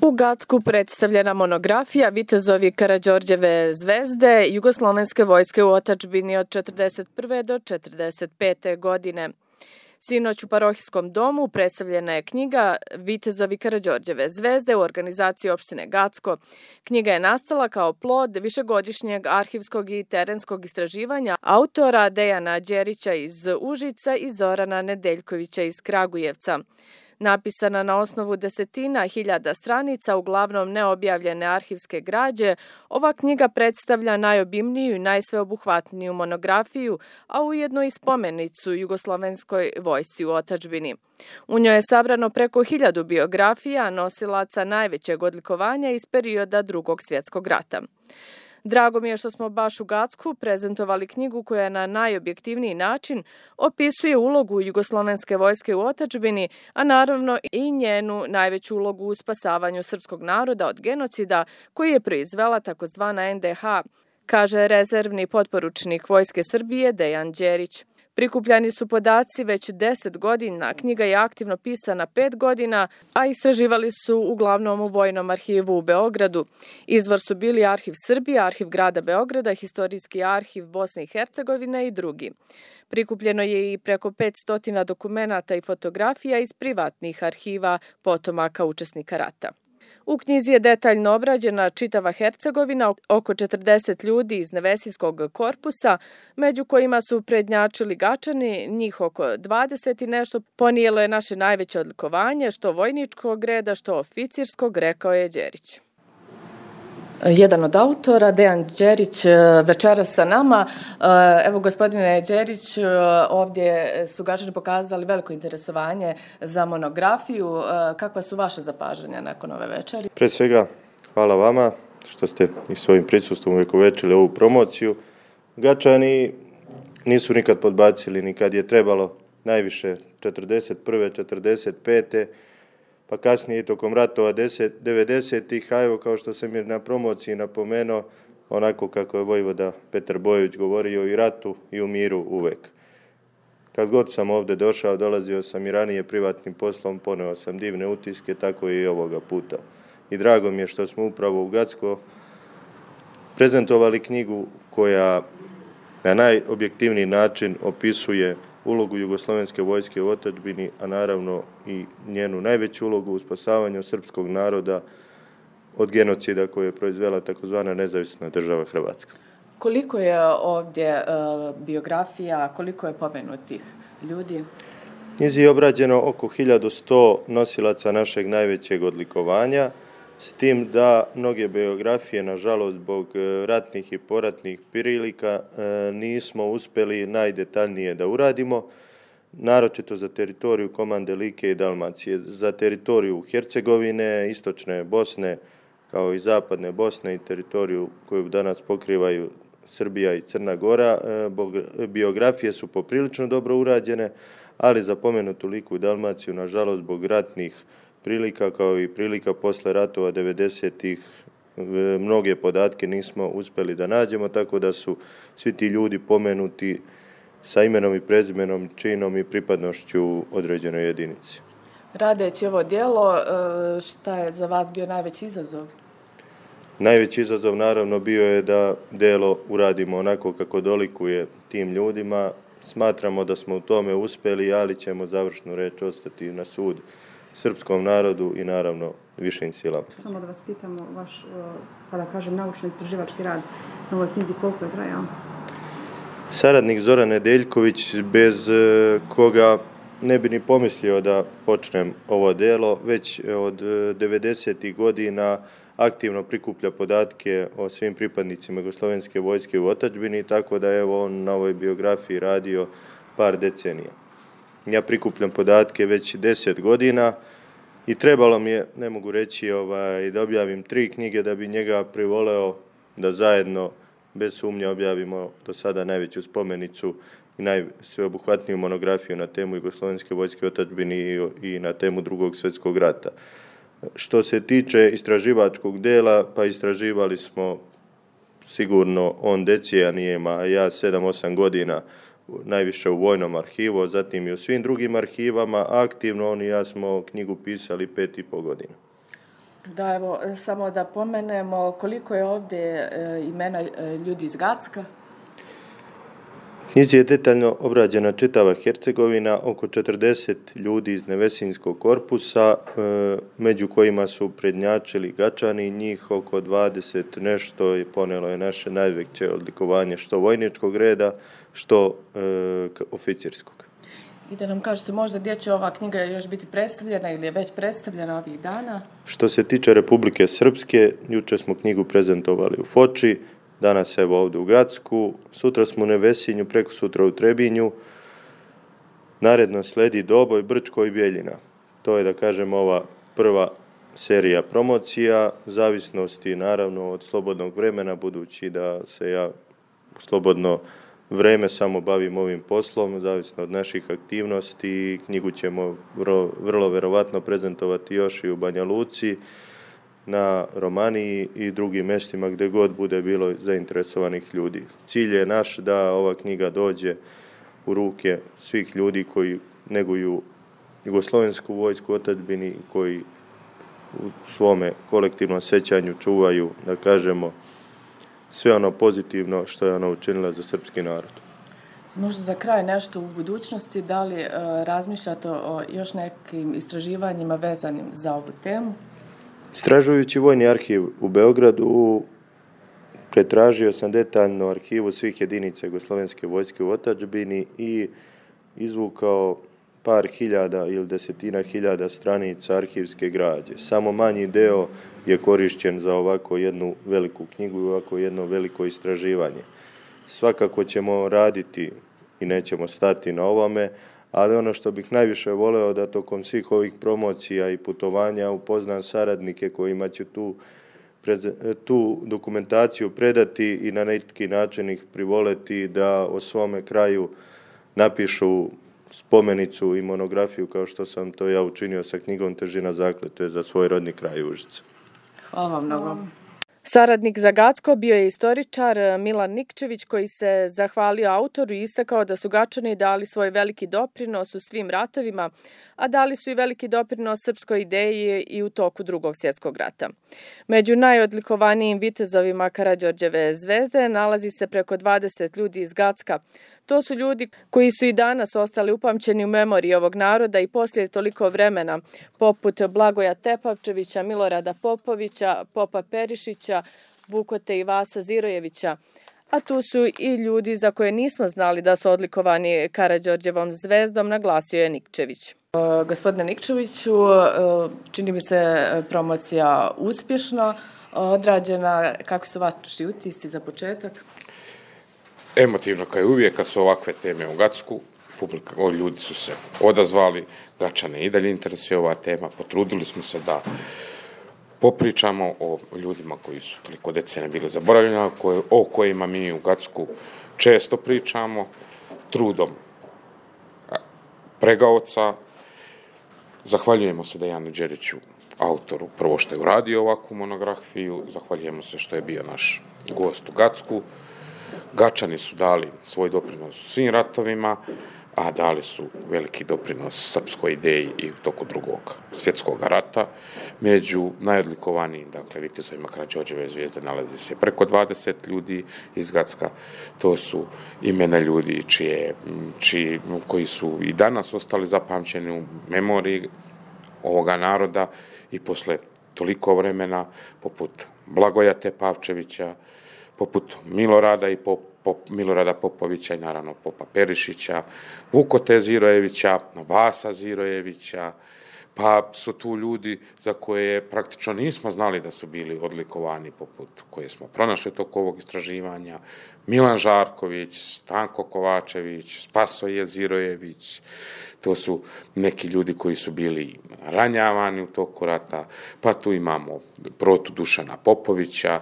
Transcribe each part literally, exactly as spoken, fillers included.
U Gacku predstavljena monografija Vitezovi Karađorđeve zvezde Jugoslovenske vojske u otadžbini od četrdeset prve do četrdeset pete godine. Sinoć u parohijskom domu predstavljena je knjiga Vitezovi Karađorđeve zvezde u organizaciji opštine Gacko. Knjiga je nastala kao plod višegodišnjeg arhivskog i terenskog istraživanja autora Dejana Đerića iz Užica i Zorana Nedeljkovića iz Kragujevca. Napisana na osnovu desetina hiljada stranica, uglavnom neobjavljene arhivske građe, ova knjiga predstavlja najobimniju i najsveobuhvatniju monografiju, a ujedno i spomenicu Jugoslovenskoj vojsci u otadžbini. U njoj je sabrano preko hiljadu biografija nosilaca najvećeg odlikovanja iz perioda Drugog svjetskog rata. Drago mi je što smo baš u Gacku prezentovali knjigu koja na najobjektivniji način opisuje ulogu Jugoslovenske vojske u otadžbini, a naravno i njenu najveću ulogu u spasavanju srpskog naroda od genocida koji je proizvela takozvana en de ha, kaže rezervni potporučnik Vojske Srbije Dejan Đerić. Prikupljani su podaci već deset godina, knjiga je aktivno pisana pet godina, a istraživali su uglavnom u Vojnom arhivu u Beogradu. Izvor su bili Arhiv Srbije, Arhiv grada Beograda, Historijski arhiv Bosne i Hercegovine i drugi. Prikupljeno je i preko petsto dokumenata i fotografija iz privatnih arhiva potomaka učesnika rata. U knjizi je detaljno obrađena čitava Hercegovina, oko četrdeset ljudi iz Nevesijskog korpusa, među kojima su prednjačili Gačani, njih oko dvadeset i nešto, ponijelo je naše najveće odlikovanje, što vojničkog reda, što oficirskog, rekao je Đerić. Jedan od autora, Dejan Đerić, večeras sa nama. Evo, gospodine Đerić, ovdje su Gačani pokazali veliko interesovanje za monografiju. Kakva su vaše zapažanja nakon ove večeri? Pre svega, hvala vama što ste i svojim prisustvom uvekovečili ovu promociju. Gačani nisu nikad podbacili, nikad je trebalo najviše četrdeset prve, četrdeset pete pa kasnije i tokom ratova devedesetih, a evo kao što sam je na promociji napomenuo, onako kako je vojvoda Petar Bojović govorio, i ratu i u miru uvek. Kad god sam ovde došao, dolazio sam i ranije privatnim poslom, poneo sam divne utiske, tako i ovoga puta. I drago mi je što smo upravo u Gacko prezentovali knjigu koja na najobjektivniji način opisuje ulogu Jugoslovenske vojske u otadžbini, a naravno i njenu najveću ulogu u spasavanju srpskog naroda od genocida koje je proizvela takozvana nezavisna država Hrvatska. Koliko je ovdje uh, biografija, koliko je pomenutih ljudi? Knjizi je obrađeno oko hiljadu sto nosilaca našeg najvećeg odlikovanja, s tim da mnoge biografije, nažalost, zbog ratnih i poratnih prilika, nismo uspeli najdetaljnije da uradimo, naročito za teritoriju komande Like i Dalmacije, za teritoriju Hercegovine, istočne Bosne, kao i zapadne Bosne i teritoriju koju danas pokrivaju Srbija i Crna Gora. Biografije su poprilično dobro urađene, ali za pomenutu Liku i Dalmaciju, nažalost, zbog ratnih prilika kao i prilika posle ratova devedesetih, mnoge podatke nismo uspeli da nađemo, tako da su svi ti ljudi pomenuti sa imenom i prezimenom, činom i pripadnošću određenoj jedinici. Radeći ovo djelo, šta je za vas bio najveći izazov? Najveći izazov naravno bio je da djelo uradimo onako kako dolikuje tim ljudima. Smatramo da smo u tome uspeli, ali ćemo završnu reč ostati na sud srpskom narodu i naravno višim silama. Samo da vas pitamo, vaš, pa da kažem, naučno-istraživački rad na ovoj knjizi, koliko je trajao? Saradnik Zoran Nedeljković, bez koga ne bi ni pomislio da počnem ovo delo, već od devedesetih godina aktivno prikuplja podatke o svim pripadnicima Jugoslovenske vojske u otadžbini, tako da je on na ovoj biografiji radio par decenija. Ja prikupljam podatke već deset godina i trebalo mi je, ne mogu reći, ovaj, da objavim tri knjige da bi njega privoleo da zajedno, bez sumnje, objavimo do sada najveću spomenicu i najsveobuhvatniju monografiju na temu Jugoslovenske vojske u otadžbini i, i na temu Drugog svjetskog rata. Što se tiče istraživačkog dela, pa istraživali smo sigurno on decenijama, a ja sedam osam godina, najviše u Vojnom arhivu, zatim i u svim drugim arhivama. Aktivno on i ja smo knjigu pisali pet i po godina. Da, evo, samo da pomenemo koliko je ovdje imena ljudi iz Gacka. Knjizi je detaljno obrađena čitava Hercegovina, oko četrdeset ljudi iz Nevesinskog korpusa, među kojima su prednjačili Gačani, njih oko dvadeset nešto i ponelo je naše najveće odlikovanje što vojničkog reda, što e, oficirskog. I da nam kažete možda gdje će ova knjiga još biti predstavljena ili je već predstavljena ovih dana? Što se tiče Republike Srpske, juče smo knjigu prezentovali u Foči, danas evo ovdje u Gacku, sutra smo u Nevesinju, preko sutra u Trebinju, naredno sledi Doboj, Brčko i Bjeljina. To je, da kažem, ova prva serija promocija, zavisnosti naravno od slobodnog vremena, budući da se ja u slobodno vreme samo bavim ovim poslom, zavisno od naših aktivnosti. Knjigu ćemo vrlo, vrlo verovatno prezentovati još i u Banja Luci, na Romaniji i drugim mjestima gdje god bude bilo zainteresovanih ljudi. Cilj je naš da ova knjiga dođe u ruke svih ljudi koji neguju jugoslovensku vojsku otadžbini, koji u svome kolektivnom sećanju čuvaju, da kažemo, sve ono pozitivno što je ona učinila za srpski narod. Možda za kraj nešto u budućnosti, da li e, razmišljate o još nekim istraživanjima vezanim za ovu temu? Istražujući Vojni arhiv u Beogradu, pretražio sam detaljno arhivu svih jedinica jugoslovenske vojske u otadžbini i izvukao par hiljada ili desetina hiljada stranica arhivske građe. Samo manji deo je korišćen za ovako jednu veliku knjigu i ovako jedno veliko istraživanje. Svakako ćemo raditi i nećemo stati na ovome, ali ono što bih najviše voleo da tokom svih ovih promocija i putovanja upoznam saradnike kojima ću tu, tu dokumentaciju predati i na neki način ih privoleti da o svome kraju napišu spomenicu i monografiju kao što sam to ja učinio sa knjigom Težina zakletve za svoj rodni kraj Užice. Hvala vam mnogo. Saradnik za Gacko bio je istoričar Milan Nikčević koji se zahvalio autoru i istakao da su Gačani dali svoj veliki doprinos u svim ratovima, a dali su i veliki doprinos srpskoj ideji i u toku Drugog svjetskog rata. Među najodlikovanijim vitezovima Karađorđeve zvezde nalazi se preko dvadeset ljudi iz Gacka. To su ljudi koji su i danas ostali upamćeni u memoriji ovog naroda i poslije toliko vremena, poput Blagoja Tepavčevića, Milorada Popovića, Popa Perišića, Vukote i Vasa Zirojevića. A tu su i ljudi za koje nismo znali da su odlikovani Karađorđevom zvezdom, naglasio je Nikčević. Gospodine Nikčeviću, čini mi se promocija uspješno odrađena. Kako su vaši utisci za početak? Emotivno kao i uvijek kad su ovakve teme u Gacku, publika, o, ljudi su se odazvali, Gačane i dalje interesuje ova tema, potrudili smo se da popričamo o ljudima koji su toliko decenija bili zaboravljeni, koje, o kojima mi u Gacku često pričamo, trudom pregaoca. Zahvaljujemo se Dejanu Đeriću, autoru, prvo što je uradio ovakvu monografiju, zahvaljujemo se što je bio naš gost u Gacku. Gačani su dali svoj doprinos svim ratovima, a dali su veliki doprinos srpskoj ideji i u toku Drugog svjetskog rata. Među najodlikovanijim, dakle, vitezovima Karađorđeve zvijezde nalazi se preko dvadeset ljudi iz Gacka. To su imena ljudi čije, čiji, koji su i danas ostali zapamćeni u memoriji ovoga naroda i posle toliko vremena, poput Blagoja Tepavčevića, poput Milorada i Pop, Pop, Milorada Popovića i naravno Popa Perišića, Vukote Zirojevića, Vasa Zirojevića, pa su tu ljudi za koje praktično nismo znali da su bili odlikovani, poput koje smo pronašli toko ovog istraživanja, Milan Žarković, Stanko Kovačević, Spasoje Zirojević. To su neki ljudi koji su bili ranjavani u toku rata, pa tu imamo Protu Dušana Popovića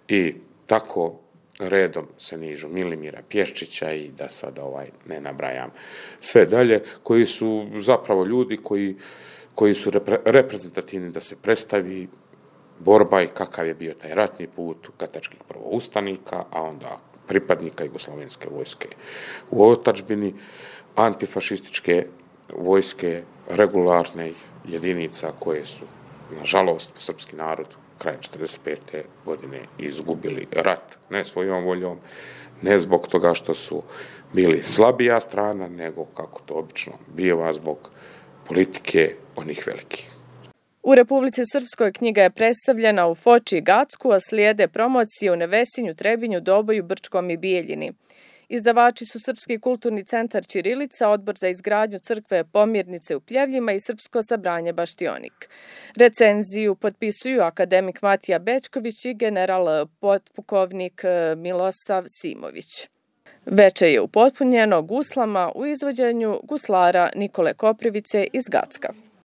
i tako redom se nižu Milimira Pješčića i da sad ovaj ne nabrajam sve dalje, koji su zapravo ljudi koji, koji su repre, reprezentativni da se predstavi borba i kakav je bio taj ratni put gatačkih prvoustanika, a onda pripadnika jugoslovenske vojske u otadžbini, antifašističke vojske regularnih jedinica koje su nažalost, srpski narod krajem četrdeset pete godine izgubili rat, ne svojom voljom, ne zbog toga što su bili slabija strana, nego, kako to obično biva, zbog politike onih velikih. U Republici Srpskoj knjiga je predstavljena u Foči i Gacku, a slijede promocije u Nevesinju, Trebinju, Doboju, Brčkom i Bijeljini. Izdavači su Srpski kulturni centar Ćirilica, Odbor za izgradnju crkve Pomirnice u Pljevljima i Srpsko sabranje Baštionik. Recenziju potpisuju akademik Matija Bečković i general potpukovnik Milosav Simović. Veče je upotpunjeno guslama u izvođenju guslara Nikole Koprivice iz Gacka.